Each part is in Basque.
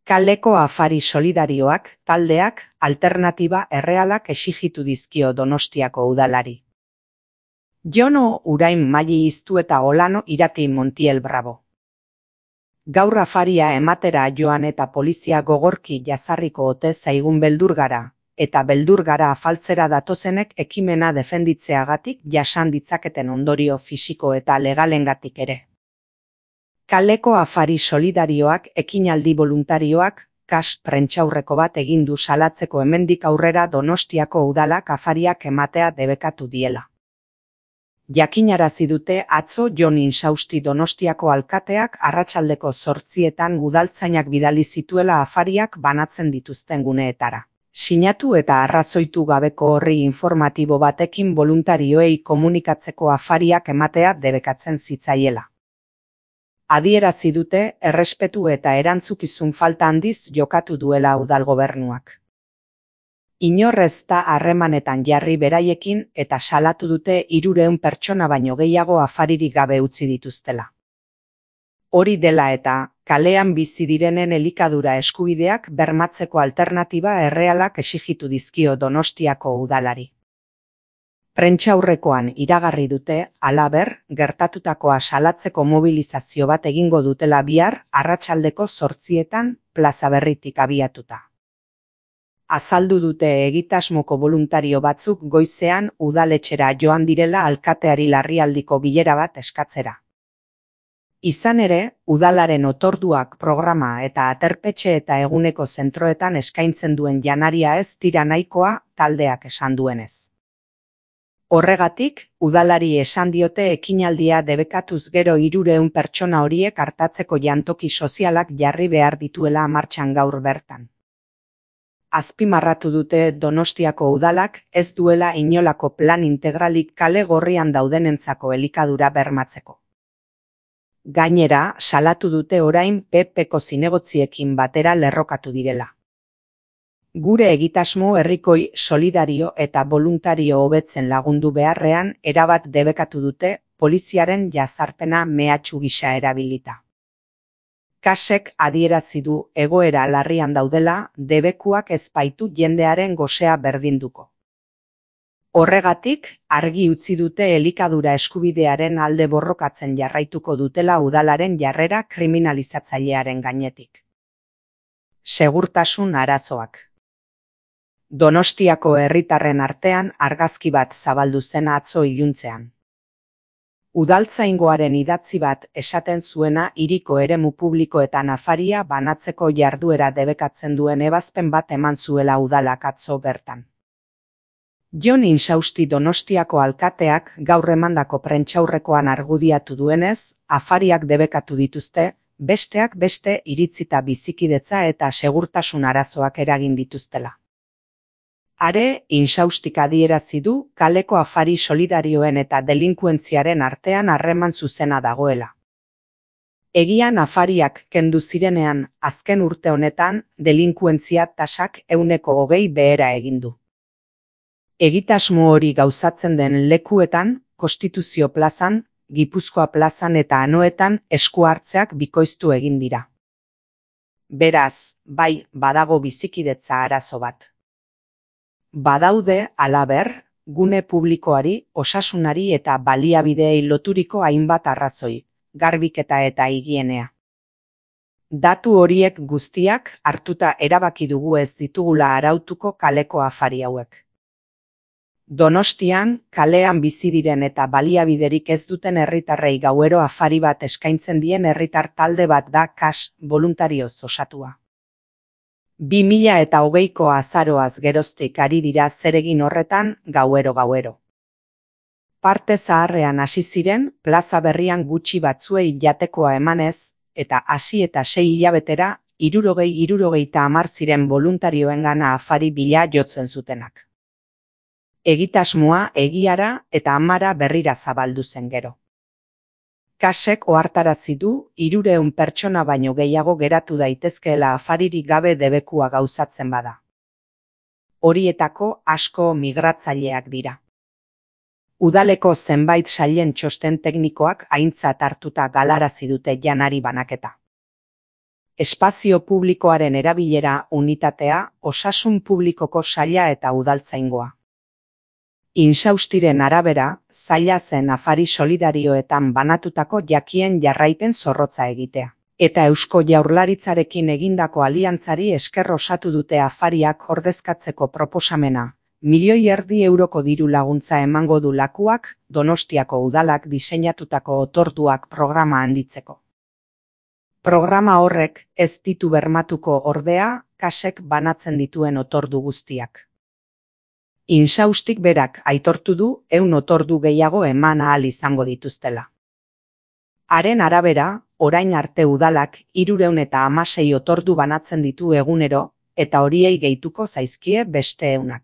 Kaleko afari solidarioak, taldeak, alternatiba errealak exigitu dizkio Donostiako udalari. Jono Urain Maili Iztu eta Olano Irati Montiel Bravo. Gaur afaria ematera joan eta polizia gogorki jazarriko ote zaigun beldur gara, eta beldur gara afaltzera datozenek ekimena defenditzeagatik jasan ditzaketen ondorio fisiko eta legalengatik ere. Kaleko afari solidarioak ekinaldi voluntarioak, kas prentsaurreko bat egin du salatzeko hemendik aurrera Donostiako udalak afariak ematea debekatu diela. Jakinarazi dute atzo Jon Insausti Donostiako alkateak arratsaldeko 8etan udaltzainak bidali zituela afariak banatzen dituzten guneetara. Sinatu eta arrazoitu gabeko horri informatibo batekin voluntarioei komunikatzeko afariak ematea debekatzen zitzaiela. Adierazi dute errespetu eta erantzukizun falta handiz jokatu duela udal gobernuak. Inor ez da harremanetan jarri beraiekin eta salatu dute 300 pertsona baino gehiago afaririk gabe utzi dituztela. Hori dela eta, kalean bizi direnen elikadura eskubideak bermatzeko alternatiba errealak exigitu dizkio Donostiako udalari. Prentsaurrekoan iragarri dute, halaber, gertatutakoa salatzeko mobilizazio bat egingo dutela bihar arratsaldeko 8etan Plaza Berritik abiatuta. Azaldu dute egitasmoko voluntario batzuk goizean udaletxera joan direla alkateari larrialdiko bilera bat eskatzera. Izan ere, udalaren otorduak programa eta aterpetxe eta eguneko zentroetan eskaintzen duen janaria ez dira nahikoa taldeak esan duenez. Horregatik, udalari esan diote ekinaldia debekatuz gero 300 pertsona horiek artatzeko jantoki sozialak jarri behar dituela martxan gaur bertan. Azpimarratu dute Donostiako udalak ez duela inolako plan integralik kale gorrian daudenentzako elikadura bermatzeko. Gainera, salatu dute orain PPko zinegotziekin batera lerrokatu direla. Gure egitasmo herrikoi solidario eta voluntario hobetzen lagundu beharrean erabat debekatu dute poliziaren jazarpena mehatxu gisa erabilita. Kasek adierazi du egoera larrian daudela, debekuak ez baitu jendearen gosea berdinduko. Horregatik, argi utzi dute elikadura eskubidearen alde borrokatzen jarraituko dutela udalaren jarrera kriminalizatzailearen gainetik. Segurtasun arazoak. Donostiako herritarren artean argazki bat zabaldu zen atzo iluntzean. Udaltzaingoaren idatzi bat esaten zuena hiriko eremu publikoetan afaria banatzeko jarduera debekatzen duen ebazpen bat eman zuela udalak atzo bertan. Jon Insausti Donostiako alkateak gaur emandako prentsaurrekoan argudiatu duenez, afariak debekatu dituzte, besteak beste iritzita bizikidetza eta segurtasun arazoak eragin dituztela. Are, Insaustik adierazi du kaleko afari solidarioen eta delinkuentziaren artean harreman zuzena dagoela. Egian afariak kendu zirenean azken urte honetan delinkuentzia tasak 120 behera egin du. Egitasmo hori gauzatzen den lekuetan, Konstituzio plazan, Gipuzkoa plazan eta Anoetan esku hartzeak bikoiztu egin dira. Beraz, bai, badago bizikidetza arazo bat. Badaude, halaber, gune publikoari, osasunari eta baliabideei loturiko hainbat arrazoi, garbiketa eta higienea. Datu horiek guztiak hartuta erabaki dugu ez ditugula arautuko kaleko afari hauek. Donostian, kalean bizi diren eta baliabiderik ez duten herritarrei gauero afari bat eskaintzen dien herritar talde bat da kas voluntarioz osatua. 2020ko azaroaz geroztik ari dira zeregin horretan gauero. Parte zaharrean hasi ziren, Plaza Berrian gutxi batzuei jatekoa emanez, eta hasi eta 6 hilabetera 60 ziren voluntarioengana afari bila jotzen zutenak. Egitasmoa egiara eta amara berrira zabaldu zen gero. Kasek ohartarazi du 300 pertsona baino gehiago geratu daitezkeela afaririk gabe debekua gauzatzen bada. Horietako asko migratzaileak dira. Udaleko zenbait sailen txosten teknikoak aintzat hartuta galarazi dute janari banaketa. espazio publikoaren erabilera unitatea, osasun publikoko saila eta udaltzaingoa. Insaustiren arabera, zaila zen afari solidarioetan banatutako jakien jarraipen zorrotza egitea. Eta Eusko Jaurlaritzarekin egindako aliantzari esker osatu dute afariak ordezkatzeko proposamena. 1,5 milioi euroko diru laguntza emango du lakuak, Donostiako udalak diseinatutako otorduak programa handitzeko. Programa horrek ez ditu bermatuko ordea, kasek banatzen dituen otordu guztiak. Insaustik berak aitortu du 100 otordu gehiago eman ahal izango dituztela. Haren arabera, orain arte udalak 316 otordu banatzen ditu egunero, eta horiei gehituko zaizkie beste 100.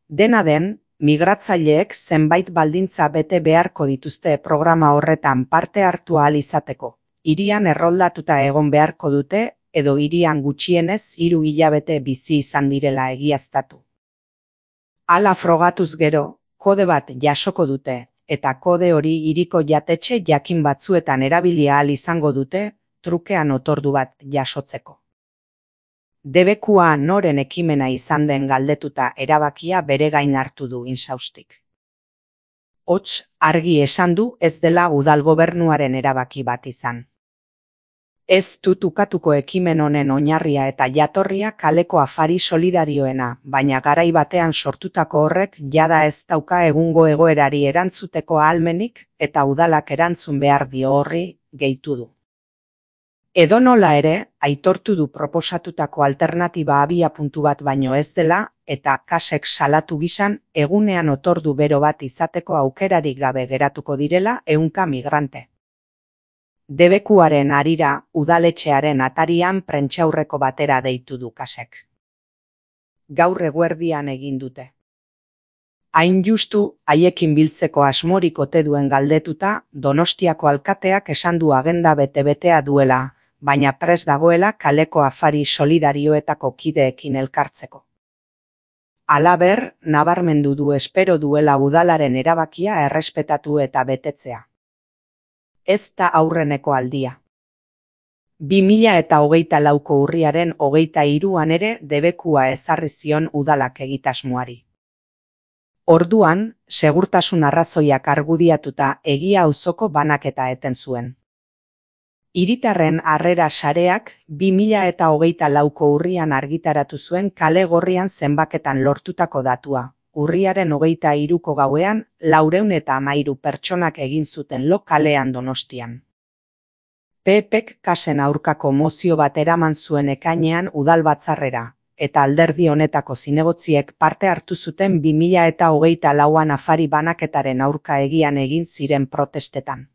Dena den, migratzaileek zenbait baldintza bete beharko dituzte programa horretan parte hartu ahal izateko. Hirian erroldatuta egon beharko dute, edo hirian gutxienez 3 hilabete bizi izan direla egiaztatu. Hala frogatuz gero, kode bat jasoko dute, eta kode hori hiriko jatetxe jakin batzuetan erabili ahal izango dute, trukean otordu bat jasotzeko. Debekua noren ekimena izan den galdetuta erabakia bere gain hartu du Insaustik. Hots, argi esan du ez dela udal gobernuaren erabaki bat izan. Ez dut ukatuko ekimen honen oinarria eta jatorria kaleko afari solidarioena, baina garai batean sortutako horrek jada ez dauka egungo egoerari erantzuteko ahalmenik eta udalak erantzun behar dio horri, gehitu du. Edonola ere, aitortu du proposatutako alternatiba abiapuntu bat baino ez dela, eta kasek salatu gizan egunean otordu bero bat izateko aukerarik gabe geratuko direla 100 migrante. Debekuaren harira udaletxearen atarian prentsaurreko batera deitu du kasek. Gaur eguerdian egin dute. Hain justu, haiekin biltzeko asmorik ote duen galdetuta, Donostiako alkateak esan du agenda bete-betea duela, baina prest dagoela kaleko afari solidarioetako kideekin elkartzeko. Halaber, nabarmendu du espero duela udalaren erabakia errespetatu eta betetzea. Ez da aurreneko aldia. 2024ko urriaren 23an ere debekua ezarri zion udalak egitasmoari. Orduan, segurtasun arrazoiak argudiatuta egia auzoko banaketa eten zuen. Hiritarren harrera sareak 2024ko urrian argitaratu zuen kale gorrian zenbaketan lortutako datua. Urriaren 23ko gauean 413 pertsonak egin zuten lo kalean Donostian. PPk kasen aurkako mozio bat eraman zuen ekainean udalbatzarrera, eta alderdi honetako zinegotziek parte hartu zuten 2024an afari banaketaren aurka egian egin ziren protestetan.